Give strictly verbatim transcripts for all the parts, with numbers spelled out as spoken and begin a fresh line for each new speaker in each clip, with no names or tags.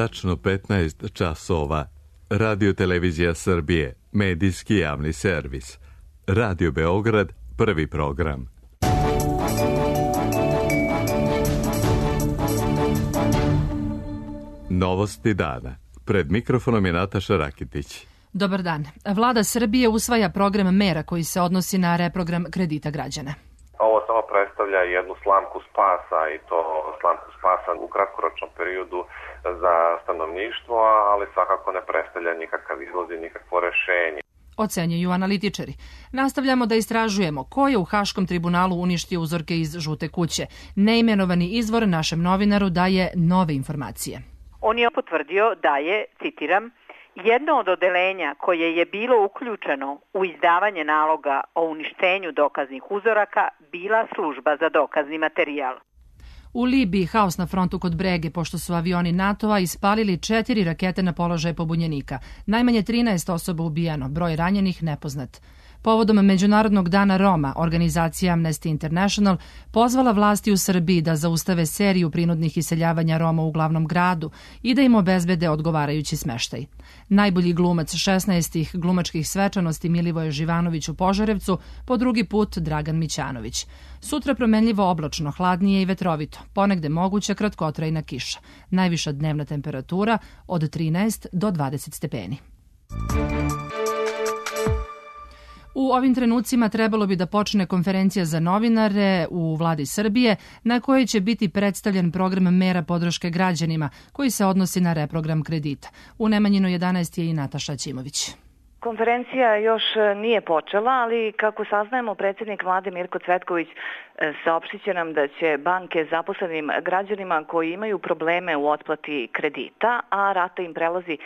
tačno petnaest časova. Radio Televizija Srbije, medijski javni servis. Radio Beograd, prvi program. Novosti dana. Pred mikrofonom je Nataša Rakitić.
Dobar dan. Vlada Srbije usvaja program mera koji se odnosi na reprogram kredita građana.
Ovo samo predstavlja jednu slamku spasa i to slamku spasa u kratkoročnom periodu za stanovništvo, ali svakako ne predstavlja nikakav izlaz i nikakvo rešenje.
Ocenjuju analitičari. Nastavljamo da istražujemo ko je u Haškom tribunalu uništio uzorke iz žute kuće. Neimenovani izvor našem novinaru daje nove informacije.
On je potvrdio da je, citiram, jedno od odeljenja koje je bilo uključeno u izdavanje naloga o uništenju dokaznih uzoraka bila služba za dokazni materijal.
U Libiji haos na frontu kod Brege, pošto su avioni NATO-a ispalili četiri rakete na položaje pobunjenika. Najmanje trinaest osoba ubijeno, broj ranjenih nepoznat. Povodom Međunarodnog dana Roma, organizacija Amnesty International pozvala vlasti u Srbiji da zaustave seriju prinudnih iseljavanja Roma u glavnom gradu i da im obezbede odgovarajući smeštaj. Najbolji glumac šesnaestih glumačkih svečanosti Milivoje Živanović u Požarevcu, po drugi put Dragan Mićanović. Sutra promenljivo oblačno, hladnije i vetrovito, ponegde moguća kratkotrajna kiša. Najviša dnevna temperatura od trinaest do dvadeset stepeni. U ovim trenucima trebalo bi da počne konferencija za novinare u Vladi Srbije na kojoj će biti predstavljen program mera podrške građanima koji se odnosi na reprogram kredita. U Nemanjinu jedanaest je i Nataša Ćimović.
Konferencija još nije počela, ali kako saznajemo, predsjednik vlade Mirko Cvetković saopštit će nam da će banke zaposlenim građanima koji imaju probleme u otplati kredita, a rata im prelazi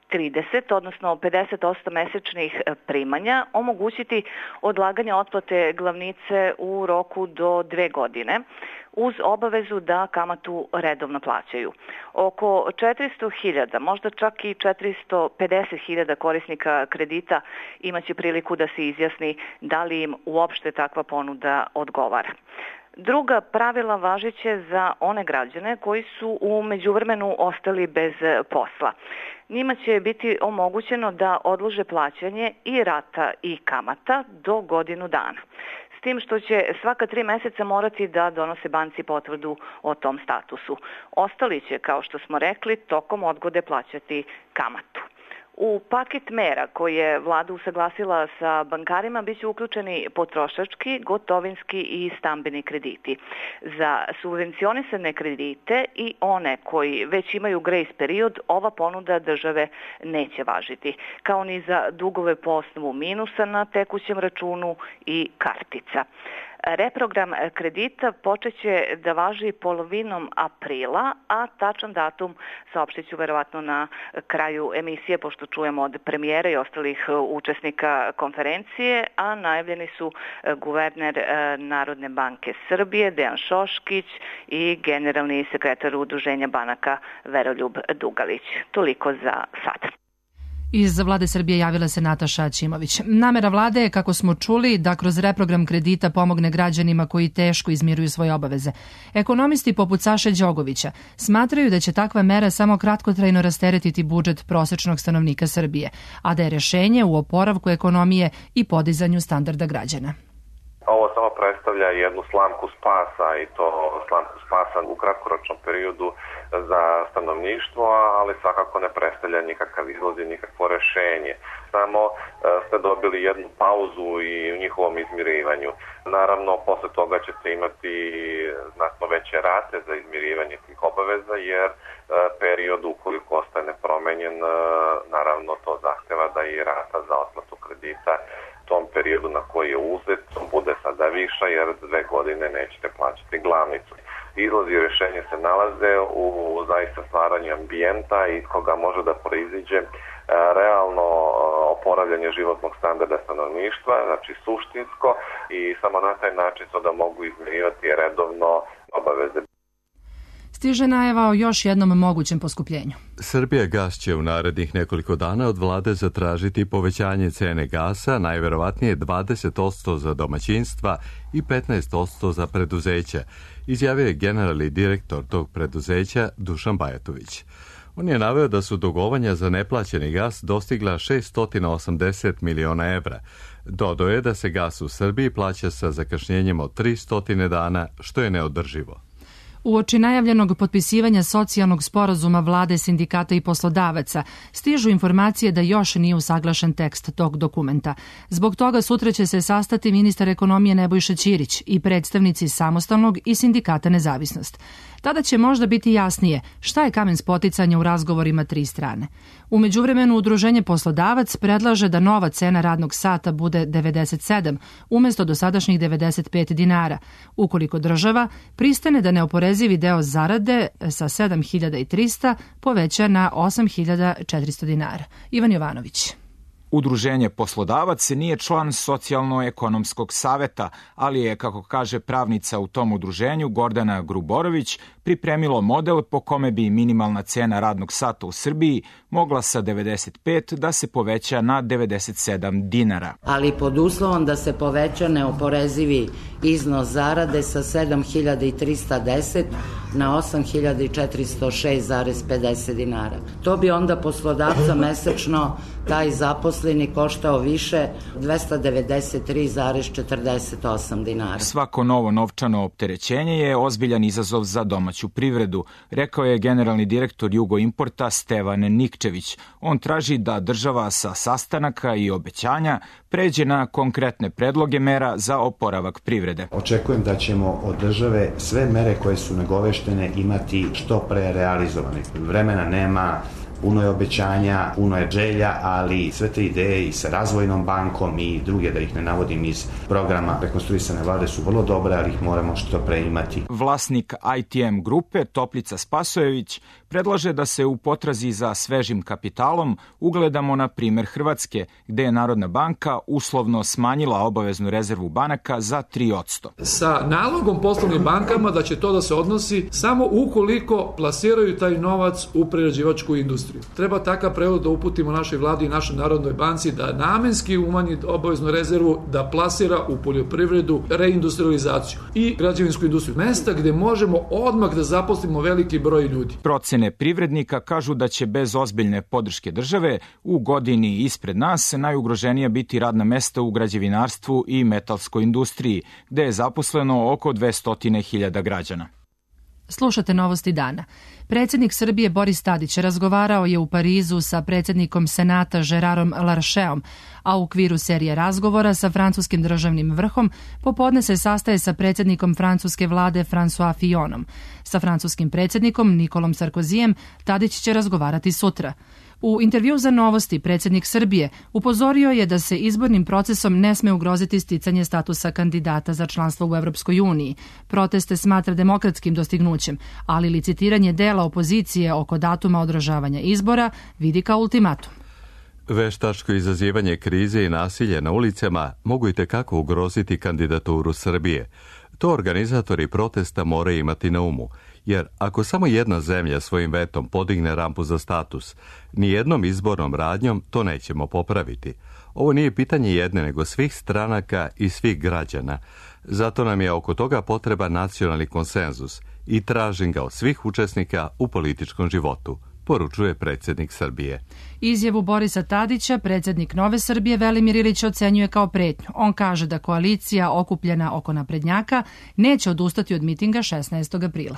trideset, odnosno pedeset posto mesečnih primanja, omogućiti odlaganje otplate glavnice u roku do dve godine, uz obavezu da kamatu redovno plaćaju. Oko četiristo hiljada, možda čak i četiristo pedeset hiljada korisnika kredita imaće priliku da se izjasni da li im uopšte takva ponuda odgovara. Druga pravila važeće za one građane koji su u međuvremenu ostali bez posla. Njima će biti omogućeno da odlože plaćanje i rata i kamata do godinu dana. S tim što će svaka tri meseca morati da donose banci potvrdu o tom statusu. Ostali će, kao što smo rekli, tokom odgode plaćati kamatu. U paket mera koje je vlada usaglasila sa bankarima biće uključeni potrošački, gotovinski i stambeni krediti. Za subvencionisane kredite i one koji već imaju grejs period, ova ponuda države neće važiti, kao ni za dugove po osnovu minusa na tekućem računu i kartica. Reprogram kredita počeće da važi polovinom aprila, a tačan datum saopštit ću verovatno na kraju emisije, pošto čujemo od premijera i ostalih učesnika konferencije, a najavljeni su guverner Narodne banke Srbije Dejan Šoškić i generalni sekretar Udruženja banaka Veroljub Dugalić. Toliko za sad.
Iz Vlade Srbije javila se Nataša Ćimović. Namera vlade je, kako smo čuli, da kroz reprogram kredita pomogne građanima koji teško izmiruju svoje obaveze. Ekonomisti poput Saše Đogovića smatraju da će takva mera samo kratkotrajno rasteretiti budžet prosečnog stanovnika Srbije, a da je rešenje u oporavku ekonomije i podizanju standarda građana.
Ovo samo predstavlja jednu slamku spasa i to slamku spasa u kratkoročnom periodu za stanovništvo, ali svakako ne predstavlja nikakav izlaz i nikakvo rešenje. Samo ste dobili jednu pauzu i u njihovom izmirivanju. Naravno, posle toga ćete imati znatno veće rate za izmirivanje tih obaveza, jer period ukoliko ostaje nepromenjen, naravno to zahteva da i rata za otplatu kredita tom periodu na koji je uzet bude sada viša, jer dve godine nećete plaćati glavnicu. Izlazi i rešenje se nalaze u zaista stvaranju ambijenta iz koga može da proiziđe realno oporavljanje životnog standarda stanovništva, znači suštinsko, i samo na taj način to da mogu izmirivati redovno obaveze.
Stiže najava o još jednom mogućem poskupljenju.
Srbija gas će u narednih nekoliko dana od vlade zatražiti povećanje cene gasa, najverovatnije dvadeset posto za domaćinstva i petnaest posto za preduzeća, izjavio je generalni direktor tog preduzeća Dušan Bajatović. On je naveo da su dugovanja za neplaćeni gas dostigla šesto osamdeset miliona evra. Dodao je da se gas u Srbiji plaća sa zakašnjenjem od tristo dana, što je neodrživo.
Uoči najavljenog potpisivanja socijalnog sporazuma vlade, sindikata i poslodavaca stižu informacije da još nije usaglašen tekst tog dokumenta. Zbog toga sutra će se sastati ministar ekonomije Nebojša Ćirić i predstavnici Samostalnog i Sindikata Nezavisnost. Tada će možda biti jasnije šta je kamen spoticanja u razgovorima tri strane. U međuvremenu Udruženje Poslodavac predlaže da nova cena radnog sata bude devedeset sedam umjesto dosadašnjih devedeset pet dinara, ukoliko država pristane da neoporezivi deo zarade sa sedam hiljada trista poveća na osam hiljada četiristo dinara. Ivan Jovanović.
Udruženje Poslodavac nije član Socijalno-ekonomskog saveta, ali je, kako kaže pravnica u tom udruženju Gordana Gruborović, pripremilo model po kome bi minimalna cena radnog sata u Srbiji mogla sa devedeset pet da se poveća na devedeset sedam dinara.
Ali pod uslovom da se poveća neoporezivi iznos zarade sa sedam hiljada trista deset na osam hiljada četiristo šest zarez pedeset dinara. To bi onda poslodavca mesečno taj zaposleni koštao više dvesta devedeset tri zarez četrdeset osam dinara.
Svako novo novčano opterećenje je ozbiljan izazov za domaću privredu, rekao je generalni direktor Jugoimporta Stevan Nikčević. On traži da država sa sastanaka i obećanja pređe na konkretne predloge mera za oporavak privrede.
Očekujem da ćemo od države sve mere koje su nagoveštene imati što pre realizovane. Vremena nema, puno je obećanja, puno je želja, ali sve te ideje i sa Razvojnom bankom i druge, da ih ne navodim, iz programa rekonstruisane vlade su vrlo dobre, ali ih moramo što pre imati.
Vlasnik I T M grupe Toplica Spasojević predlaže da se u potrazi za svežim kapitalom ugledamo na primer Hrvatske, gde je Narodna banka uslovno smanjila obaveznu rezervu banaka za tri posto.
Sa nalogom poslovnim bankama da će to da se odnosi samo ukoliko plasiraju taj novac u prerađivačku industriju. Treba takav prevod da uputimo našoj vladi i našoj Narodnoj banci da namenski umanji obaveznu rezervu, da plasira u poljoprivredu, reindustrializaciju i građevinsku industriju. Mesta gde možemo odmah da zaposlimo veliki broj ljudi.
Procene privrednika kažu da će bez ozbiljne podrške države u godini ispred nas najugroženija biti radna mesta u građevinarstvu i metalskoj industriji, gde je zaposleno oko dvesta hiljada građana.
Slušate novosti dana. Predsjednik Srbije Boris Tadić razgovarao je u Parizu sa predsjednikom Senata Gerarom Larcheom, a u okviru serije razgovora sa francuskim državnim vrhom popodne se sastaje sa predsjednikom francuske vlade François Fillonom. Sa francuskim predsjednikom Nikolom Sarkozijem Tadić će razgovarati sutra. U intervju za Novosti predsjednik Srbije upozorio je da se izbornim procesom ne sme ugroziti sticanje statusa kandidata za članstvo u Evropskoj uniji. Proteste smatra demokratskim dostignućem, ali licitiranje dela opozicije oko datuma održavanja izbora vidi kao ultimatum.
Veštačko izazivanje krize i nasilje na ulicama mogu itekako ugroziti kandidaturu Srbije. To organizatori protesta moraju imati na umu, jer ako samo jedna zemlja svojim vetom podigne rampu za status, nijednom izbornom radnjom to nećemo popraviti. Ovo nije pitanje jedne, nego svih stranaka i svih građana. Zato nam je oko toga potreba nacionalni konsenzus i tražim ga od svih učesnika u političkom životu, poručuje predsjednik Srbije.
Izjavu Borisa Tadića predsjednik Nove Srbije Velimir Ilić ocenjuje kao pretnju. On kaže da koalicija okupljena oko naprednjaka neće odustati od mitinga šesnaestog aprila.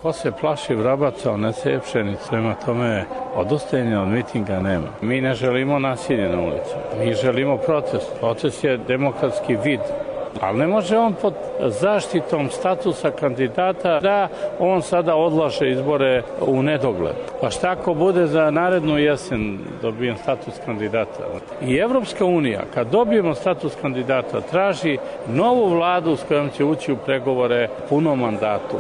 Ko se plaši vrabaca, ne seje pšenicu, prema tome odustajanja od mitinga nema. Mi ne želimo nasilje na ulicu, mi želimo protest. Protest je demokratski vid, ali ne može on pod zaštitom statusa kandidata da on sada odlaže izbore u nedogled. Pa šta ako bude za narednu jesen dobijem status kandidata? I Evropska unija, kad dobijemo status kandidata, traži novu vladu s kojom će ući u pregovore punom mandatu.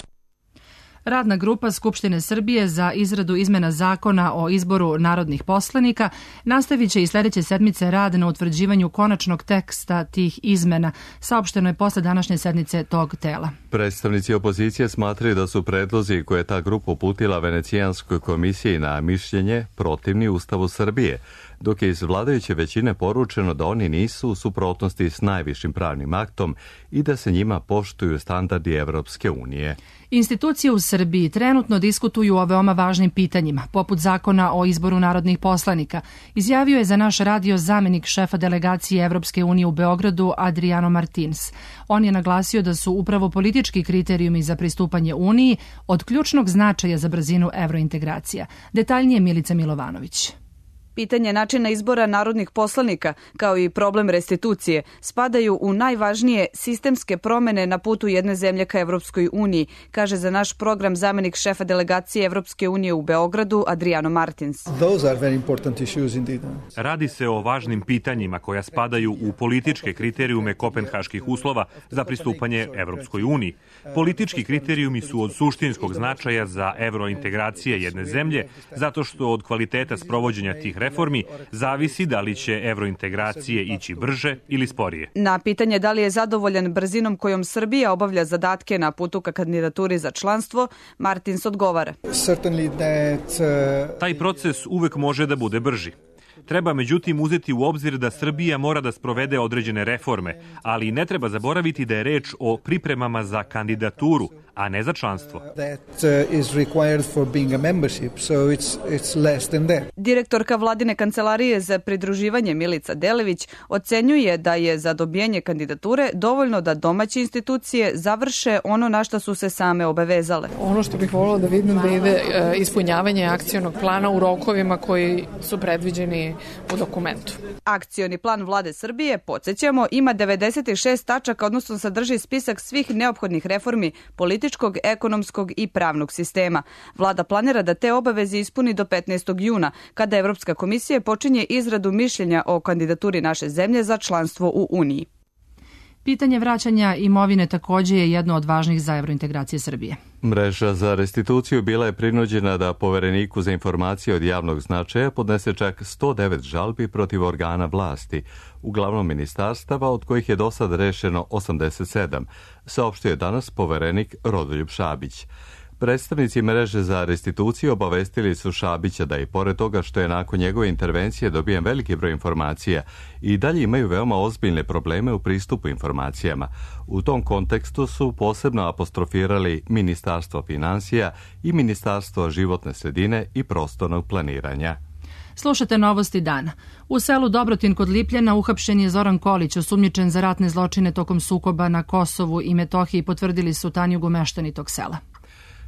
Radna grupa Skupštine Srbije za izradu izmena zakona o izboru narodnih poslanika nastavit će i sljedeće sedmice rad na utvrđivanju konačnog teksta tih izmena, saopšteno je posle današnje sednice tog tela.
Predstavnici opozicije smatraju da su predlozi koje je ta grupa uputila Venecijanskoj komisiji na mišljenje protivni Ustavu Srbije, dok je iz vladajuće većine poručeno da oni nisu u suprotnosti s najvišim pravnim aktom i da se njima poštuju standardi Evropske unije.
Institucije u Srbiji Srbiji trenutno diskutuju o veoma važnim pitanjima, poput zakona o izboru narodnih poslanika, izjavio je za naš radio zamenik šefa delegacije Evropske unije u Beogradu Adriano Martins. On je naglasio da su upravo politički kriterijumi za pristupanje Uniji od ključnog značaja za brzinu evrointegracija. Detaljnije Milica Milovanović.
Pitanje načina izbora narodnih poslanika, kao i problem restitucije, spadaju u najvažnije sistemske promene na putu jedne zemlje ka Evropskoj uniji, kaže za naš program zamenik šefa delegacije Evropske unije u Beogradu Adriano Martins.
Radi se o važnim pitanjima koja spadaju u političke kriterijume kopenhaških uslova za pristupanje Evropskoj uniji. Politički kriterijumi su od suštinskog značaja za evrointegracije jedne zemlje, zato što od kvaliteta sprovođenja tih reformi reformi zavisi da li će evrointegracije ići brže ili sporije.
Na pitanje da li je zadovoljan brzinom kojom Srbija obavlja zadatke na putu ka kandidaturi za članstvo, Martins odgovara.
Taj proces uvek može da bude brži. Treba međutim uzeti u obzir da Srbija mora da sprovede određene reforme, ali ne treba zaboraviti da je reč o pripremama za kandidaturu, a ne za članstvo.
Direktorka vladine kancelarije za pridruživanje Milica Delević ocenjuje da je za dobijanje kandidature dovoljno da domaće institucije završe ono na što su se same obavezale.
Ono što bih voljela da vidim da ide ispunjavanje akcionog plana u rokovima koji su predviđeni u dokumentu.
Akcioni plan vlade Srbije, podsjećamo, ima devedeset šest tačaka, odnosno sadrži spisak svih neophodnih reformi političkog, ekonomskog i pravnog sistema. Vlada planira da te obaveze ispuni do petnaestog juna, kada Evropska komisija počinje izradu mišljenja o kandidaturi naše zemlje za članstvo u Uniji.
Pitanje vraćanja imovine takođe je jedno od važnih za evrointegracije Srbije.
Mreža za restituciju bila je prinuđena da Povereniku za informacije od javnog značaja podnese čak sto devet žalbi protiv organa vlasti, uglavnom ministarstava, od kojih je do sad rešeno osamdeset sedam, saopštio je danas Poverenik Rodoljub Šabić. Predstavnici mreže za restituciju obavestili su Šabića da i pored toga što je nakon njegove intervencije dobijen veliki broj informacija i dalje imaju veoma ozbiljne probleme u pristupu informacijama. U tom kontekstu su posebno apostrofirali Ministarstvo finansija i Ministarstvo životne sredine i prostornog planiranja.
Slušate novosti dana. U selu Dobrotin kod Lipljana uhapšen je Zoran Kolić, osumnjičen za ratne zločine tokom sukoba na Kosovu i Metohiji, potvrdili su Tanjugu meštani tog sela.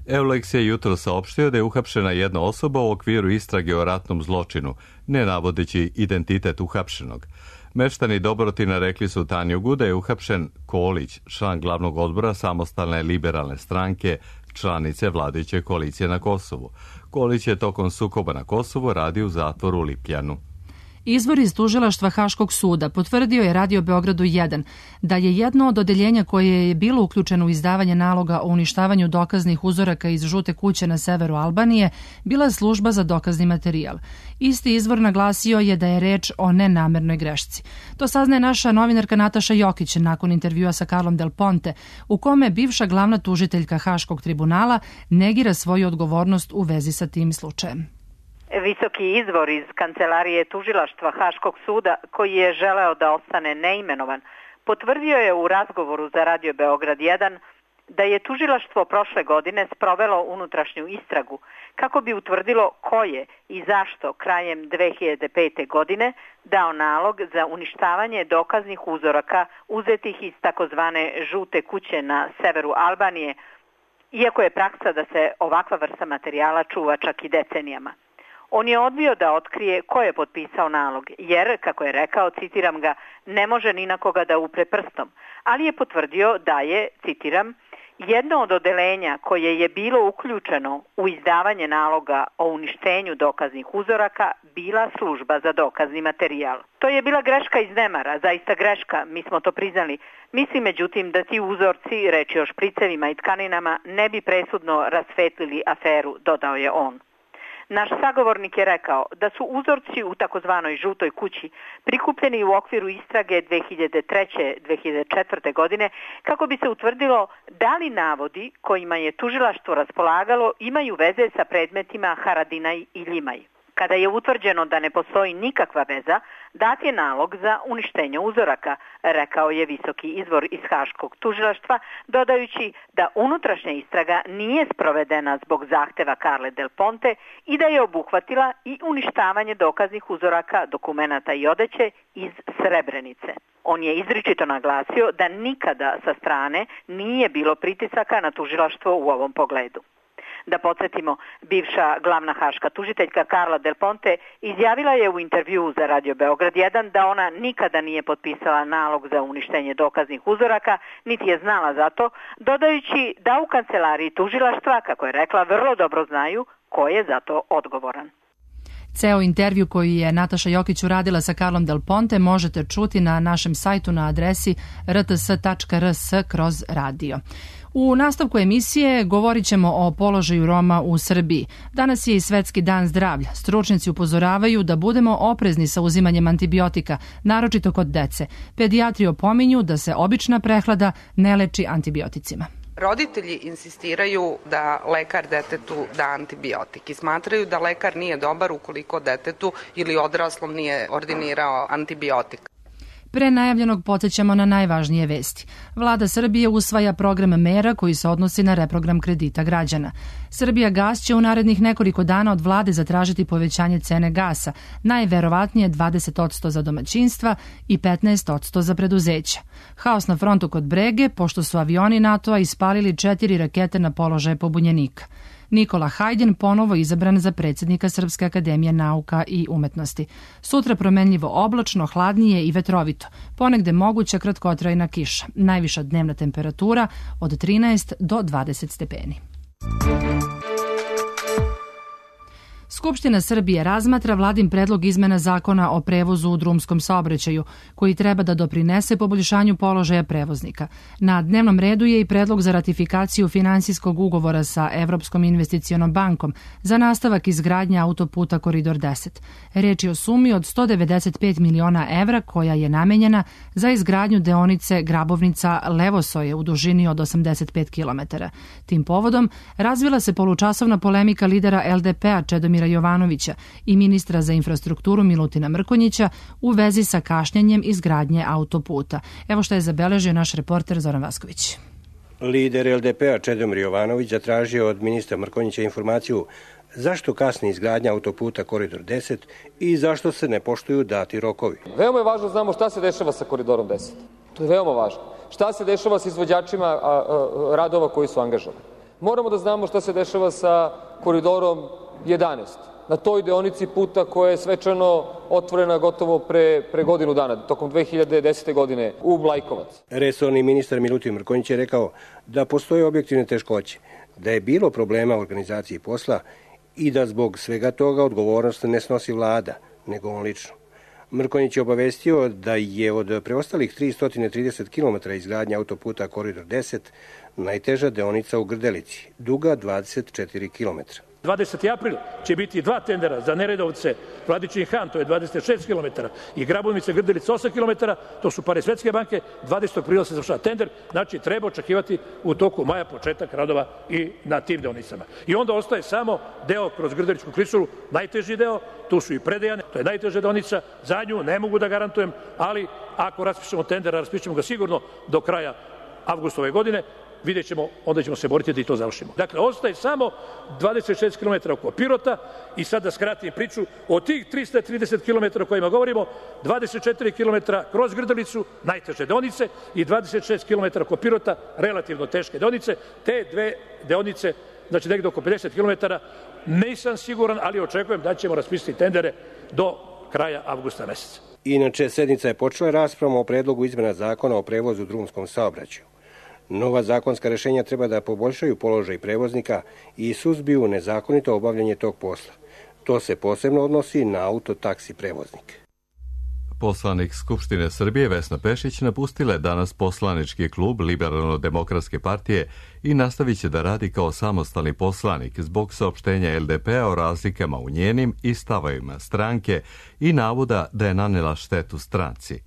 Eulex je jutro saopštio da je uhapšena jedna osoba u okviru istrage o ratnom zločinu, ne navodeći identitet uhapšenog. Meštani Dobrotina rekli su Tanjugu da je uhapšen Kolić, član glavnog odbora Samostalne liberalne stranke, članice vladajuće koalicije na Kosovu. Kolić je tokom sukoba na Kosovu radio u zatvoru u Lipljanu.
Izvor iz tužilaštva Haškog suda potvrdio je Radio Beogradu jedan da je jedno od odeljenja koje je bilo uključeno u izdavanje naloga o uništavanju dokaznih uzoraka iz žute kuće na severu Albanije bila služba za dokazni materijal. Isti izvor naglasio je da je reč o nenamernoj grešci. To saznaje naša novinarka Nataša Jokić nakon intervjua sa Karlom Del Ponte, u kome bivša glavna tužiteljka Haškog tribunala negira svoju odgovornost u vezi sa tim slučajem.
Visoki izvor iz kancelarije tužilaštva Haškog suda, koji je želeo da ostane neimenovan, potvrdio je u razgovoru za Radio Beograd jedan da je tužilaštvo prošle godine sprovelo unutrašnju istragu kako bi utvrdilo ko je i zašto krajem dve hiljade pete. godine dao nalog za uništavanje dokaznih uzoraka uzetih iz takozvane žute kuće na severu Albanije, iako je praksa da se ovakva vrsta materijala čuva čak i decenijama. On je odbio da otkrije ko je potpisao nalog, jer, kako je rekao, citiram ga, ne može ni na koga da upre prstom, ali je potvrdio da je, citiram, jedno od odelenja koje je bilo uključeno u izdavanje naloga o uništenju dokaznih uzoraka bila služba za dokazni materijal. To je bila greška iz nemara, zaista greška, mi smo to priznali. Mislim, međutim, da ti uzorci, reč je o špricevima i tkaninama, ne bi presudno rasvetlili aferu, dodao je on. Naš sagovornik je rekao da su uzorci u takozvanoj žutoj kući prikupljeni u okviru istrage dve hiljade treće. do dve hiljade četvrte. godine kako bi se utvrdilo da li navodi kojima je tužilaštvo raspolagalo imaju veze sa predmetima Haradinaj i Ljimaj. Kada je utvrđeno da ne postoji nikakva veza, dat je nalog za uništenje uzoraka, rekao je visoki izvor iz Haškog tužilaštva, dodajući da unutrašnja istraga nije sprovedena zbog zahteva Carle Del Ponte i da je obuhvatila i uništavanje dokaznih uzoraka, dokumenata i odeće iz Srebrenice. On je izričito naglasio da nikada sa strane nije bilo pritisaka na tužilaštvo u ovom pogledu. Da podsjetimo, bivša glavna haška tužiteljka Carla Del Ponte izjavila je u intervjuu za Radio Beograd jedan da ona nikada nije potpisala nalog za uništenje dokaznih uzoraka, niti je znala za to, dodajući da u kancelariji tužilaštva, kako je rekla, vrlo dobro znaju ko je za to odgovoran.
Ceo intervju koji je Nataša Jokić uradila sa Carlom Del Ponte možete čuti na našem sajtu na adresi r t s tačka r s kroz radio. U nastavku emisije govorit ćemo o položaju Roma u Srbiji. Danas je i Svetski dan zdravlja. Stručnjaci upozoravaju da budemo oprezni sa uzimanjem antibiotika, naročito kod dece. Pedijatri opominju da se obična prehlada ne leči antibioticima.
Roditelji insistiraju da lekar detetu da antibiotik i smatraju da lekar nije dobar ukoliko detetu ili odraslom nije ordinirao antibiotik.
Pre najavljenog podsjećamo na najvažnije vesti. Vlada Srbije usvaja program mera koji se odnosi na reprogram kredita građana. Srbija gas će u narednih nekoliko dana od vlade zatražiti povećanje cene gasa, najverovatnije dvadeset posto za domaćinstva i petnaest posto za preduzeća. Haos na frontu kod Brege, pošto su avioni NATO-a ispalili četiri rakete na položaje pobunjenika. Nikola Hajdin ponovo izabran za predsjednika Srpske akademije nauka i umetnosti. Sutra promenljivo oblačno, hladnije i vetrovito. Ponegde moguća kratkotrajna kiša. Najviša dnevna temperatura od trinaest do dvadeset stepeni. Skupština Srbije razmatra vladin predlog izmena zakona o prevozu u drumskom saobraćaju, koji treba da doprinese poboljšanju položaja prevoznika. Na dnevnom redu je i predlog za ratifikaciju finansijskog ugovora sa Evropskom investicionom bankom za nastavak izgradnje autoputa Koridor deset. Reč je o sumi od sto devedeset pet miliona evra koja je namenjena za izgradnju deonice Grabovnica-Levosoje u dužini od osamdeset pet kilometara. Tim povodom razvila se polučasovna polemika lidera el de pe a Čedomira Jovanovića i ministra za infrastrukturu Milutina Mrkonjića u vezi sa kašnjenjem izgradnje autoputa. Evo što je zabeležio naš reporter Zoran Vasković.
Lider el de pe a Čedomir Jovanović zatražio od ministra Mrkonjića informaciju zašto kasni izgradnja autoputa Koridor deset i zašto se ne poštuju dati rokovi.
Veoma je važno znamo šta se dešava sa Koridorom deset. To je veoma važno. Šta se dešava sa izvođačima a, a, radova koji su angažovani. Moramo da znamo šta se dešava sa Koridorom jedanaest, na toj deonici puta koja je svečano otvorena gotovo pre, pre godinu dana, tokom dve hiljade desete. godine u Mlajkovac.
Resorni ministar Milutin Mrkonjić je rekao da postoje objektivne teškoće, da je bilo problema u organizaciji posla i da zbog svega toga odgovornost ne snosi vlada, nego on lično. Mrkonjić je obavestio da je od preostalih tristo trideset kilometara izgradnja autoputa Koridor deset najteža deonica u Grdelici, duga dvadeset četiri kilometra.
dvadeseti april će biti dva tendera za Neredovce, Vladičin Han, to je dvadeset šest kilometara, i Grabovnice, Grdelica osam kilometara, to su pare Svetske banke, dvadesetog aprila se završava tender, znači treba očekivati u toku maja početak radova i na tim deonicama. I onda ostaje samo deo kroz Grdeličku klisuru, najteži deo, tu su i Predejane, to je najteža deonica, za nju ne mogu da garantujem, ali ako raspišemo tender, raspišemo ga sigurno do kraja avgusta ove godine, vidjet ćemo, onda ćemo se boriti da i to završimo. Dakle, ostaje samo dvadeset šest kilometara oko Pirota i sad da skratim priču, od tih trista trideset kilometara o kojima govorimo, dvadeset četiri kilometra kroz Grdelicu, najteže deonice, i dvadeset šest kilometara oko Pirota, relativno teške deonice. Te dve deonice, znači negde oko pedeset kilometara, nisam siguran, ali očekujem da ćemo raspisati tendere do kraja avgusta meseca.
Inače, sednica je počela raspravom o predlogu izmena zakona o prevozu u drumskom saobraćaju. Nova zakonska rešenja treba da poboljšaju položaj prevoznika i suzbiju nezakonito obavljanje tog posla. To se posebno odnosi na autotaksi prevoznike.
Poslanik Skupštine Srbije Vesna Pešić napustila je danas poslanički klub Liberalno-demokratske partije i nastavit će da radi kao samostalni poslanik zbog saopštenja el de pe a o razlikama u njenim i stavovima stranke i navoda da je nanela štetu stranci.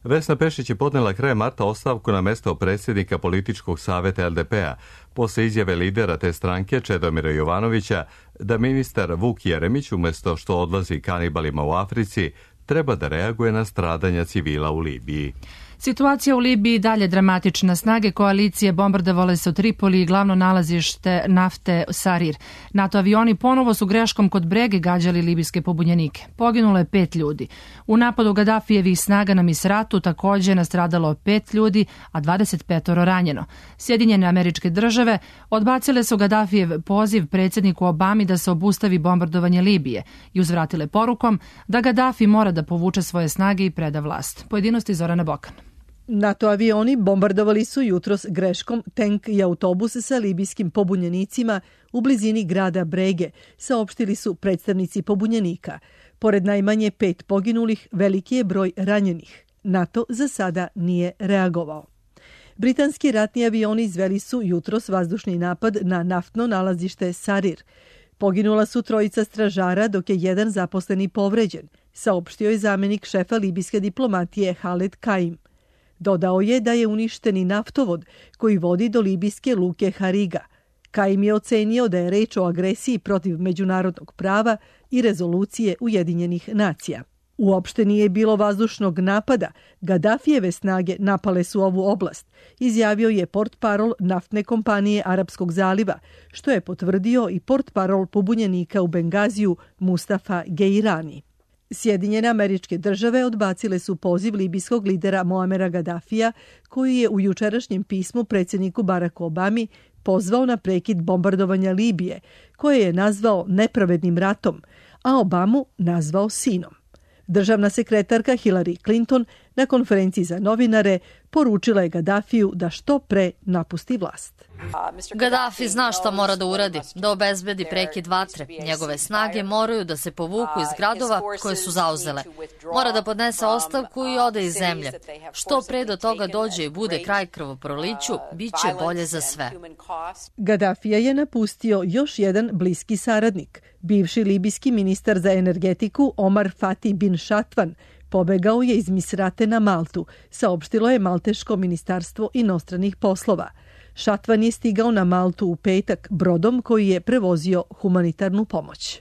Vesna Pešić je podnela krajem marta ostavku na mesto predsjednika političkog savjeta el de pe-a, posle izjave lidera te stranke Čedomira Jovanovića da ministar Vuk Jeremić, umjesto što odlazi kanibalima u Africi, treba da reaguje na stradanja civila u Libiji.
Situacija u Libiji dalje dramatična. Snage koalicije bombardovale su Tripoli i glavno nalazište nafte Sarir. NATO avioni ponovo su greškom kod Brege gađali libijske pobunjenike. Poginulo je pet ljudi. U napadu Gadafijevih snaga na Misratu također je nastradalo pet ljudi, a dvadeset pet ranjeno. Sjedinjene Američke Države odbacile su Gadafijev poziv predsjedniku Obami da se obustavi bombardovanje Libije i uzvratile porukom da Gadafi mora da povuče svoje snage i preda vlast. Pojedinosti Zorana Bokan.
NATO avioni bombardovali su jutros greškom tank i autobus sa libijskim pobunjenicima u blizini grada Brege, saopštili su predstavnici pobunjenika. Pored najmanje pet poginulih, veliki je broj ranjenih. NATO za sada nije reagovao. Britanski ratni avioni izveli su jutros vazdušni napad na naftno nalazište Sarir. Poginula su trojica stražara, dok je jedan zaposleni povređen, saopštio je zamenik šefa libijske diplomatije Haled Kaim. Dodao je da je uništeni naftovod koji vodi do libijske luke Hariga. Kaim je ocenio da je reč o agresiji protiv međunarodnog prava i rezolucije Ujedinjenih nacija. Uopšte nije bilo vazdušnog napada, Gadafijeve snage napale su ovu oblast, izjavio je portparol naftne kompanije Arapskog zaliva, što je potvrdio i portparol pobunjenika u Bengaziju Mustafa Geirani. Sjedinjene Američke Države odbacile su poziv libijskog lidera Moamera Gadafija, koji je u jučerašnjem pismu predsjedniku Baracku Obami pozvao na prekid bombardovanja Libije, koje je nazvao nepravednim ratom, a Obamu nazvao sinom. Državna sekretarka Hillary Clinton na konferenciji za novinare poručila je Gadafiju da što pre napusti vlast.
Gaddafi zna šta mora da uradi, da obezbedi prekid vatre. Njegove snage moraju da se povuku iz gradova koje su zauzele. Mora da podnese ostavku i ode iz zemlje. Što pre do toga dođe i bude kraj krvoproliću, bit će bolje za sve.
Gaddafija je napustio još jedan bliski saradnik. Bivši libijski ministar za energetiku Omar Fatih bin Šatvan pobegao je iz Misrate na Maltu, saopštilo je Malteško ministarstvo inostranih poslova. Šatvan je stigao na Maltu u petak brodom koji je prevozio humanitarnu pomoć.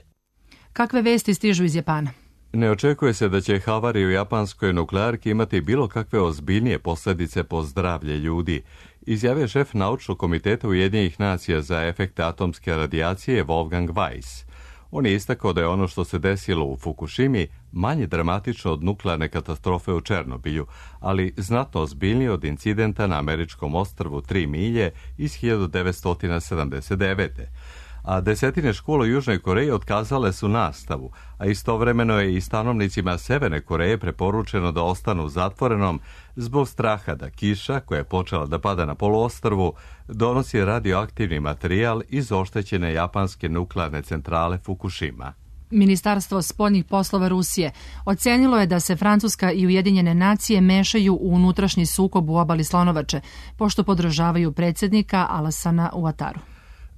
Kakve vesti stižu iz Japana?
Ne očekuje se da će havarija u japanskoj nuklearki imati bilo kakve ozbiljnije posljedice po zdravlje ljudi, izjavio šef naučnog komiteta Ujedinjenih nacija za efekte atomske radijacije Wolfgang Weiss. On je istakao da je ono što se desilo u Fukushimi manje dramatično od nuklearne katastrofe u Černobilju, ali znatno ozbiljnije od incidenta na američkom ostrvu Tri milje iz hiljadu devetsto sedamdeset devete. A desetine škola u Južnoj Koreji otkazale su nastavu, a istovremeno je i stanovnicima Severne Koreje preporučeno da ostanu u zatvorenom zbog straha da kiša, koja je počela da pada na poluostrvu, donosi radioaktivni materijal iz oštećene japanske nuklearne centrale Fukushima.
Ministarstvo spoljnih poslova Rusije ocenilo je da se Francuska i Ujedinjene nacije mešaju u unutrašnji sukob u obali Slonovače, pošto podržavaju predsjednika Alassana Ouattaru.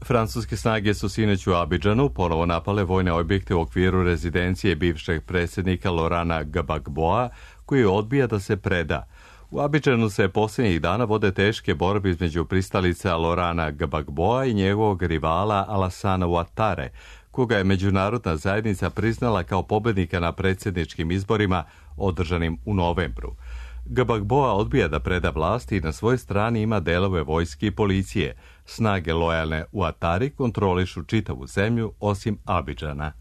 Francuske snage su sinoć u Abidžanu ponovo napale vojne objekte u okviru rezidencije bivšeg predsjednika Laurana Gbagboa, koji odbija da se preda. U Abidžanu se posljednjih dana vode teške borbe između pristalica Laurana Gbagboa i njegovog rivala Alassana Ouattare, koga je međunarodna zajednica priznala kao pobednika na predsjedničkim izborima održanim u novembru. Gbagboa odbija da preda vlast i na svojoj strani ima delove vojske i policije. Snage lojalne Ouattari kontrolišu čitavu zemlju osim Abidžana.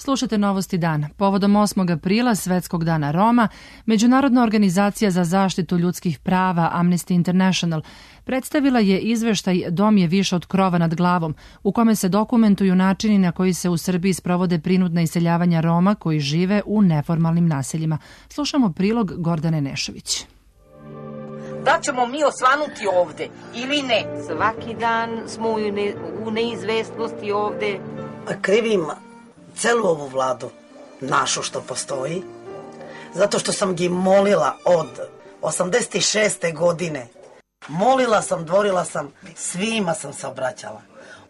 Slušajte novosti dana. Povodom osmog aprila, Svetskog dana Roma, Međunarodna organizacija za zaštitu ljudskih prava Amnesty International predstavila je izveštaj Dom je više od krova nad glavom, u kome se dokumentuju načini na koji se u Srbiji sprovode prinudna iseljavanja Roma koji žive u neformalnim naseljima. Slušamo prilog Gordane Nešović.
Da ćemo mi osvanuti ovde ili ne? Svaki dan smo u, ne, u neizvestnosti ovde.
Krivim celu ovu vladu, našu što postoji, zato što sam gi molila od osamdeset šeste godine. Molila sam, dvorila sam, svima sam se obraćala.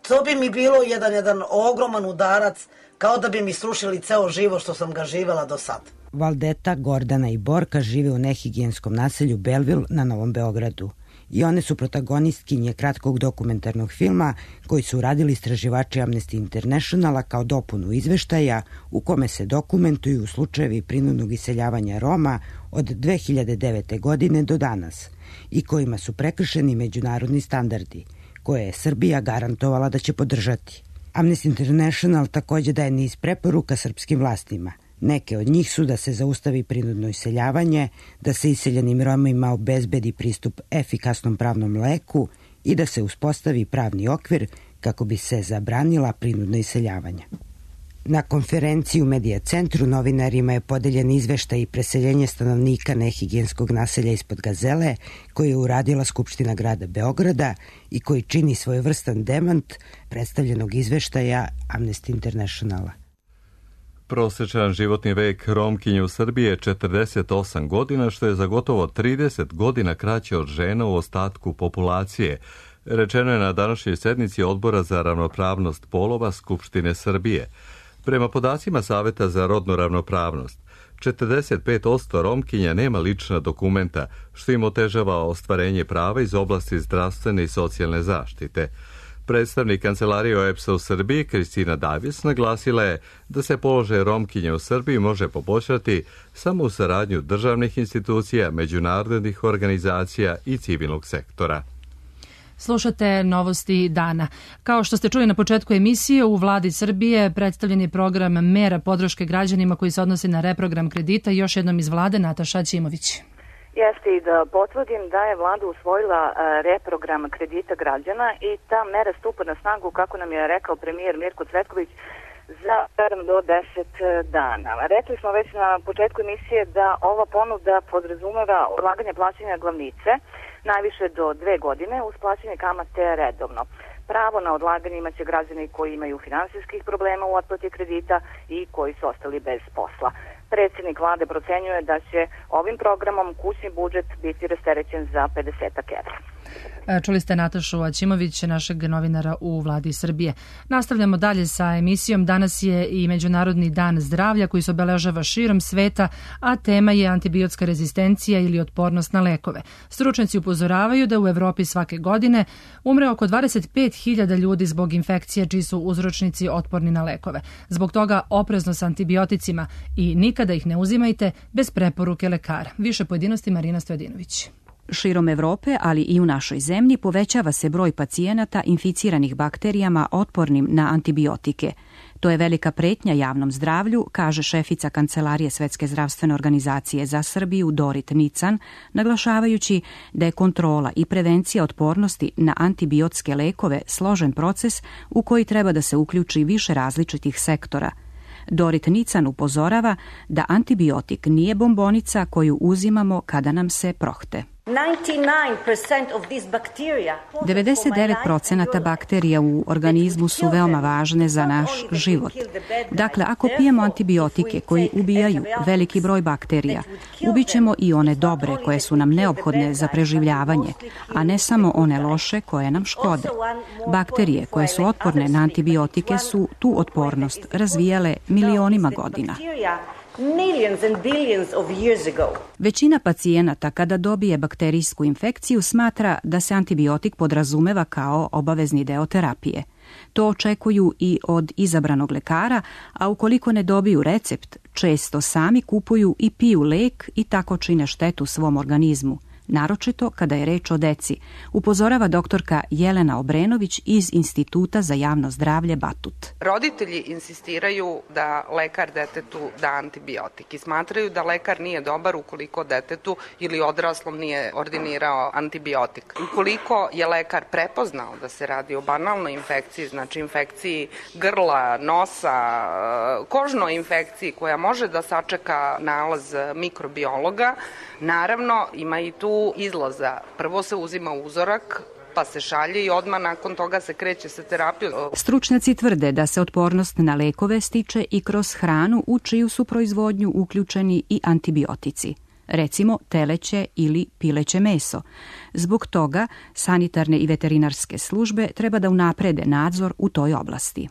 To bi mi bilo jedan, jedan ogroman udarac, kao da bi mi srušili ceo život što sam ga živela do sad.
Valdeta, Gordana i Borka žive u nehigijenskom naselju Belleville na Novom Beogradu. I one su protagonistkinje kratkog dokumentarnog filma koji su uradili istraživači Amnesty Internationala kao dopunu izveštaja u kome se dokumentuju slučajevi prinudnog iseljavanja Roma od dve hiljade devete. godine do danas i kojima su prekršeni međunarodni standardi koje je Srbija garantovala da će podržati. Amnesty International takođe daje niz preporuka srpskim vlastima. Neke od njih su da se zaustavi prinudno iseljavanje, da se iseljenim Romima obezbedi pristup efikasnom pravnom leku i da se uspostavi pravni okvir kako bi se zabranila prinudno iseljavanje. Na konferenciji u Medija centru novinarima je podeljen izveštaj i preseljenje stanovnika nehigijenskog naselja ispod Gazele koje je uradila Skupština grada Beograda i koji čini svojevrstan demant predstavljenog izveštaja Amnesty Internationala.
Prosječan životni vek Romkinje u Srbiji je četrdeset osam godina, što je za gotovo trideset godina kraće od žena u ostatku populacije, rečeno je na današnjoj sednici Odbora za ravnopravnost polova Skupštine Srbije. Prema podacima Saveta za rodnu ravnopravnost, četrdeset pet posto Romkinja nema lična dokumenta, što im otežava ostvarenje prava iz oblasti zdravstvene i socijalne zaštite. Predstavnik Kancelarije O E B S-a u Srbiji, Kristina Davis, naglasila je da se položaj Romkinja u Srbiji može poboljšati samo u saradnju državnih institucija, međunarodnih organizacija i civilnog sektora.
Slušate novosti dana. Kao što ste čuli na početku emisije, u vladi Srbije predstavljen je program mera podrške građanima koji se odnosi na reprogram kredita. Još jednom iz vlade Nataša Ćimović.
Jeste i da potvrdim da je vlada usvojila reprogram kredita građana i ta mera stupa na snagu, kako nam je rekao premijer Mirko Cvetković, za sedam do deset dana. Rekli smo već na početku emisije da ova ponuda podrazumeva odlaganje plaćanja glavnice najviše do dve godine uz plaćanje kamate redovno. Pravo na odlaganje imaće građani koji imaju finansijskih problema u otplati kredita i koji su ostali bez posla. Predsjednik vlade procenjuje da će ovim programom kućni budžet biti rasterećen za pedeset evra.
Čuli ste Natašu Aćimović, našeg novinara u vladi Srbije. Nastavljamo dalje sa emisijom. Danas je i Međunarodni dan zdravlja koji se obeležava širom sveta, a tema je antibiotska rezistencija ili otpornost na lekove. Stručnjaci upozoravaju da u Evropi svake godine umre oko dvadeset pet hiljada ljudi zbog infekcije čiji su uzročnici otporni na lekove. Zbog toga oprezno sa antibioticima i nikada ih ne uzimajte bez preporuke lekara. Više pojedinosti Marina Stojadinović.
Širom Evrope, ali i u našoj zemlji, povećava se broj pacijenata inficiranih bakterijama otpornim na antibiotike. To je velika pretnja javnom zdravlju, kaže šefica Kancelarije Svetske zdravstvene organizacije za Srbiju Dorit Nican, naglašavajući da je kontrola i prevencija otpornosti na antibiotske lekove složen proces u koji treba da se uključi više različitih sektora. Dorit Nican upozorava da antibiotik nije bombonica koju uzimamo kada nam se prohte. devedeset devet posto bakterija u organizmu su veoma važne za naš život. Dakle, ako pijemo antibiotike koji ubijaju veliki broj bakterija, ubićemo i one dobre koje su nam neophodne za preživljavanje, a ne samo one loše koje nam škode. Bakterije koje su otporne na antibiotike su tu otpornost razvijale milionima godina. Većina pacijenata kada dobije bakterijsku infekciju smatra da se antibiotik podrazumeva kao obavezni deo terapije. To očekuju i od izabranog lekara, a ukoliko ne dobiju recept, često sami kupuju i piju lek i tako čine štetu svom organizmu. Naročito kada je reč o deci, upozorava doktorka Jelena Obrenović iz Instituta za javno zdravlje Batut.
Roditelji insistiraju da lekar detetu da antibiotik i smatraju da lekar nije dobar ukoliko detetu ili odraslom nije ordinirao antibiotik. Ukoliko je lekar prepoznao da se radi o banalnoj infekciji, znači infekciji grla, nosa, kožnoj infekciji koja može da sačeka nalaz mikrobiologa, naravno ima i tu izlaza. Prvo se uzima uzorak, pa se šalje i odmah nakon toga se kreće sa terapijom.
Stručnjaci tvrde da se otpornost na lekove stiče i kroz hranu u čiju su proizvodnju uključeni i antibiotici. Recimo teleće ili pileće meso. Zbog toga sanitarne i veterinarske službe treba da unaprede nadzor u toj oblasti.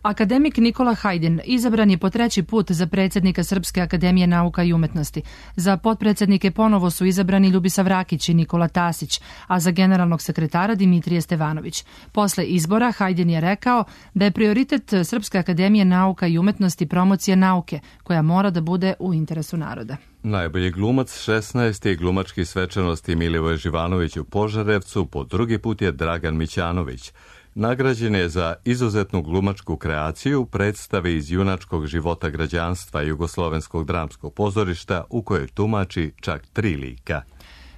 Akademik Nikola Hajdin izabran je po treći put za predsjednika Srpske akademije nauka i umetnosti. Za potpredsjednike ponovo su izabrani Ljubisav Rakić i Nikola Tasić, a za generalnog sekretara Dimitrije Stevanović. Posle izbora Hajdin je rekao da je prioritet Srpske akademije nauka i umetnosti promocija nauke, koja mora da bude u interesu naroda.
Najbolji glumac šesnaeste glumački svečanosti Milivoje Živanović u Požarevcu po drugi put je Dragan Mićanović. Nagrađen je za izuzetnu glumačku kreaciju predstave iz junačkog života građanstva Jugoslovenskog dramskog pozorišta u kojoj tumači čak tri lika.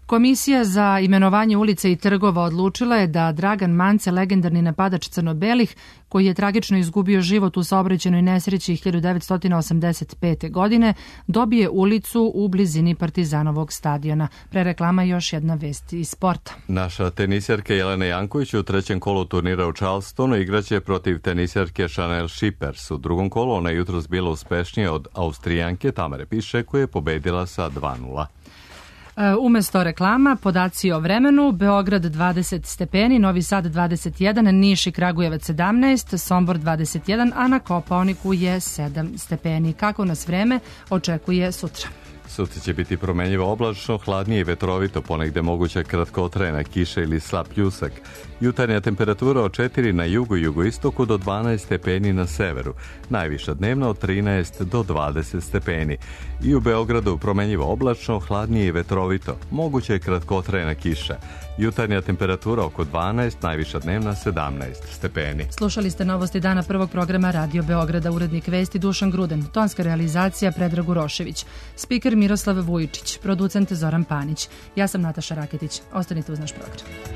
Komisija za imenovanje ulica i trgova odlučila je da Dragan Mance, legendarni napadač crno-belih, koji je tragično izgubio život u saobraćajnoj nesreći hiljadu devetsto osamdeset pete. godine, dobije ulicu u blizini Partizanovog stadiona. Pre reklama još jedna vest iz sporta.
Naša tenisjerka Jelena Janković u trećem kolu turnira u Charlestonu igraće protiv tenisjerke Chanel Schippers. U drugom kolu ona je jutros bila uspešnija od Austrijanke Tamare Piše, koja je pobedila sa dva nula.
Umesto reklama, podaci o vremenu: Beograd dvadeset stepeni, Novi Sad dvadeset jedan, Niš i Kragujevac sedamnaest, Sombor dvadeset jedan, a na Kopaoniku je sedam stepeni. Kako nas vreme očekuje sutra?
Sutra će biti promenljivo oblačno, hladnije i vetrovito, ponegde moguća kratkotrajna kiša ili slab pljusak. Jutarnja temperatura od četiri na jugu i jugoistoku do dvanaest stepeni na severu. Najviša dnevna od trinaest do dvadeset stepeni. I u Beogradu promenljivo oblačno, hladnije i vetrovito, moguća je kratkotrajna kiša. Jutarnja temperatura oko dvanaest, najviša dnevna sedamnaest stepeni.
Slušali ste novosti dana prvog programa Radio Beograda, urednik vesti Dušan Gruden, tonska realizacija Predrag Urošević, spiker Miroslav Vujičić, producent Zoran Panić. Ja sam Nataša Raketić. Ostanite uz naš program.